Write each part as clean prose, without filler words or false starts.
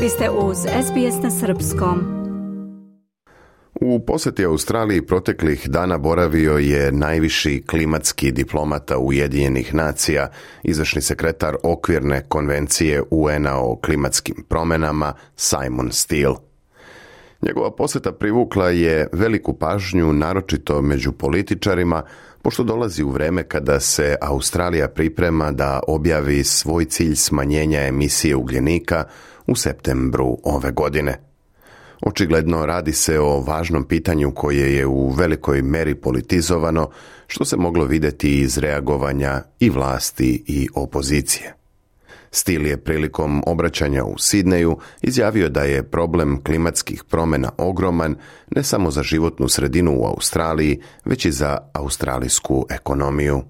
Vi ste uz SBS na srpskom. U posjeti Australiji proteklih dana boravio je najviši klimatski diplomata Ujedinjenih nacija, izvršni sekretar okvirne konvencije UN-a o klimatskim promjenama Simon Steele. Njegova posjeta privukla je veliku pažnju, naročito među političarima, pošto dolazi u vrijeme kada se Australija priprema da objavi svoj cilj smanjenja emisije ugljenika u septembru ove godine. Očigledno radi se o važnom pitanju koje je u velikoj meri politizovano, što se moglo vidjeti iz reagovanja i vlasti i opozicije. Steele je prilikom obraćanja u Sidneju izjavio da je problem klimatskih promjena ogroman ne samo za životnu sredinu u Australiji, već i za australijsku ekonomiju.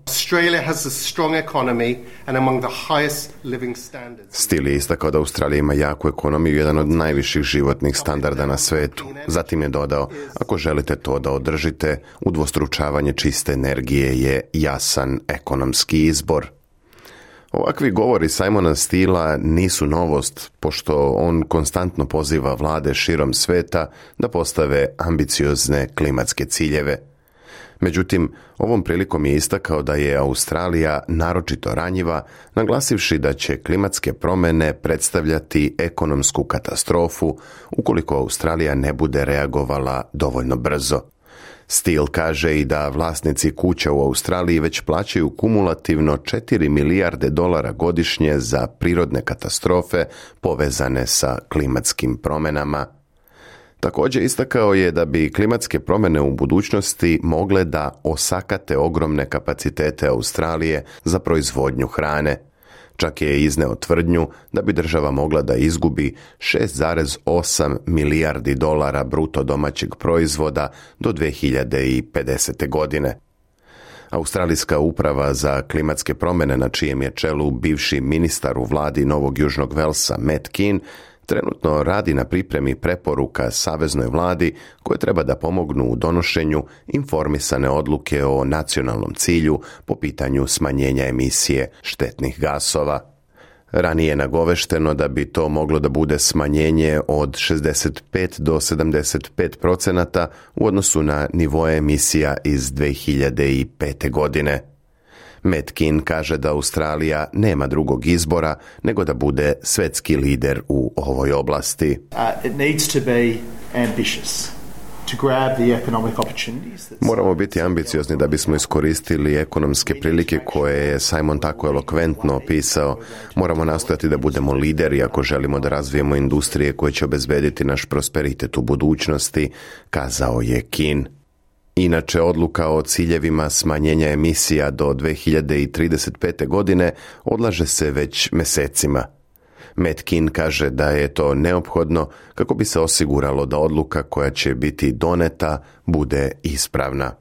Steele je istakao da Australija ima jaku ekonomiju i jedan od najviših životnih standarda na svetu. Zatim je dodao, ako želite to da održite, udvostručavanje čiste energije je jasan ekonomski izbor. Ovakvi govori Simona Steela nisu novost, pošto on konstantno poziva vlade širom sveta da postave ambiciozne klimatske ciljeve. Međutim, ovom prilikom je istakao da je Australija naročito ranjiva, naglasivši da će klimatske promjene predstavljati ekonomsku katastrofu ukoliko Australija ne bude reagovala dovoljno brzo. Steele kaže i da vlasnici kuća u Australiji već plaćaju kumulativno $4 milijarde godišnje za prirodne katastrofe povezane sa klimatskim promjenama. Također istakao je da bi klimatske promjene u budućnosti mogle da osakate ogromne kapacitete Australije za proizvodnju hrane. Čak je izneo tvrdnju da bi država mogla da izgubi $6,8 milijardi bruto domaćeg proizvoda do 2050. godine. Australijska uprava za klimatske promjene, na čijem je čelu bivši ministar u vladi Novog Južnog Velsa Matt Kean, trenutno radi na pripremi preporuka saveznoj vladi koje treba da pomognu u donošenju informisane odluke o nacionalnom cilju po pitanju smanjenja emisije štetnih gasova. Ranije je nagovešteno da bi to moglo da bude smanjenje od 65 do 75% u odnosu na nivoe emisija iz 2005. godine. Matt Kean kaže da Australija nema drugog izbora nego da bude svetski lider u ovoj oblasti. Moramo biti ambiciozni da bismo iskoristili ekonomske prilike koje je Simon tako elokventno opisao. Moramo nastojati da budemo lideri ako želimo da razvijemo industrije koje će obezbediti naš prosperitet u budućnosti, kazao je Kean. Inače, odluka o ciljevima smanjenja emisija do 2035. godine odlaže se već mesecima. Matt Kean kaže da je to neophodno kako bi se osiguralo da odluka koja će biti doneta bude ispravna.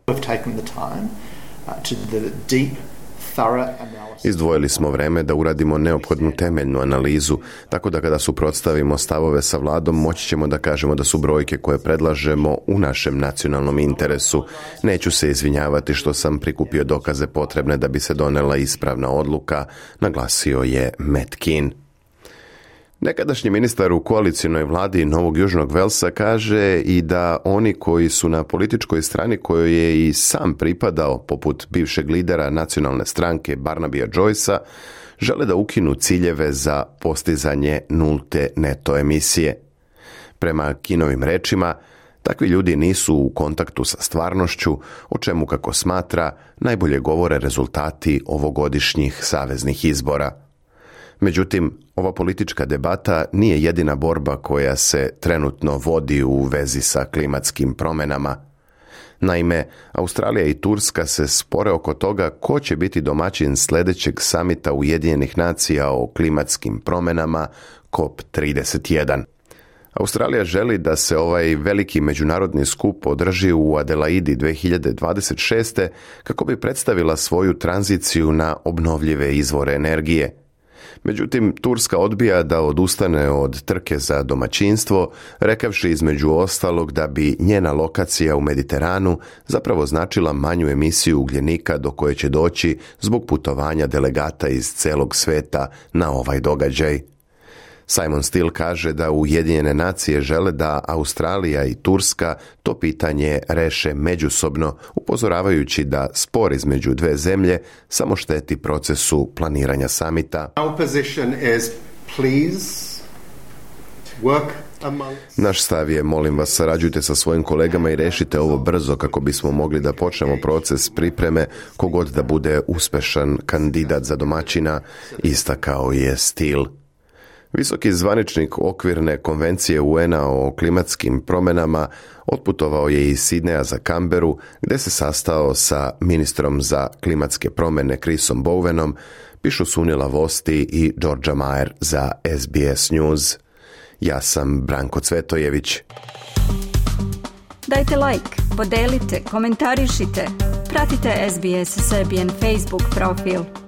Izdvojili smo vreme da uradimo neophodnu temeljnu analizu, tako da kada suprotstavimo stavove sa vladom, moći ćemo da kažemo da su brojke koje predlažemo u našem nacionalnom interesu. Neću se izvinjavati što sam prikupio dokaze potrebne da bi se donela ispravna odluka, naglasio je Matt Kean. Nekadašnji ministar u koalicionoj vladi Novog Južnog Velsa kaže i da oni koji su na političkoj strani kojoj je i sam pripadao, poput bivšeg lidera nacionalne stranke Barnabya Joycea, žele da ukinu ciljeve za postizanje nulte neto emisije. Prema Keanovim rečima, takvi ljudi nisu u kontaktu sa stvarnošću, o čemu, kako smatra, najbolje govore rezultati ovogodišnjih saveznih izbora. Međutim, ova politička debata nije jedina borba koja se trenutno vodi u vezi sa klimatskim promjenama. Naime, Australija i Turska se spore oko toga ko će biti domaćin sljedećeg samita Ujedinjenih nacija o klimatskim promjenama COP31. Australija želi da se ovaj veliki međunarodni skup održi u Adelaidi 2026. kako bi predstavila svoju tranziciju na obnovljive izvore energije. Međutim, Turska odbija da odustane od trke za domaćinstvo, rekavši između ostalog da bi njena lokacija u Mediteranu zapravo značila manju emisiju ugljenika do koje će doći zbog putovanja delegata iz celog sveta na ovaj događaj. Simon Steele kaže da Ujedinjene nacije žele da Australija i Turska to pitanje reše međusobno, upozoravajući da spor između dve zemlje samo šteti procesu planiranja samita. Our position is, please work. Naš stav je, molim vas, sarađujte sa svojim kolegama i rešite ovo brzo kako bismo mogli da počnemo proces pripreme kogod da bude uspešan kandidat za domaćina, istakao je Steele. Visoki zvaničnik okvirne konvencije UN-a o klimatskim promjenama otputovao je iz Sidneja za Canberu, gde se sastao sa ministrom za klimatske promjene Chrisom Bowenom, pišu Sunila Vosti i Georgia Mayer za SBS News. Ja sam Branko Cvetojević. Dajte like, podelite, komentarišite, pratite SBS Serbian Facebook profil.